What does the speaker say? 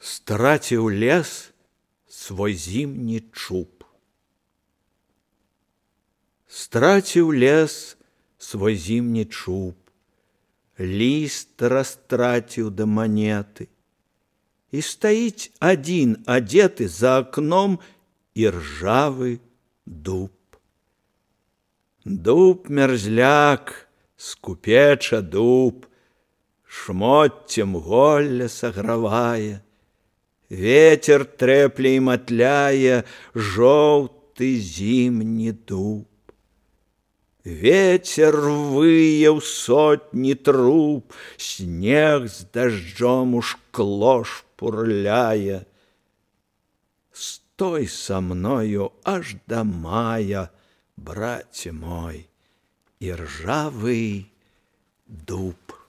Страціў лес свой зімні чуб. Страціў лес свой зімні чуб, ліст растраціў да манеты, і стаіць адзін адзеты за акном іржавы дуб. Дуб мерзляк, скупеча дуб, шмотцем голля сагравае, ветер трэпле і матляе жоўты зімні дуб. Ветер вые ў сотні труб, снег з дажджом у шкло шпурляе. Стой са мною аж да мая, браце мой, іржавы дуб.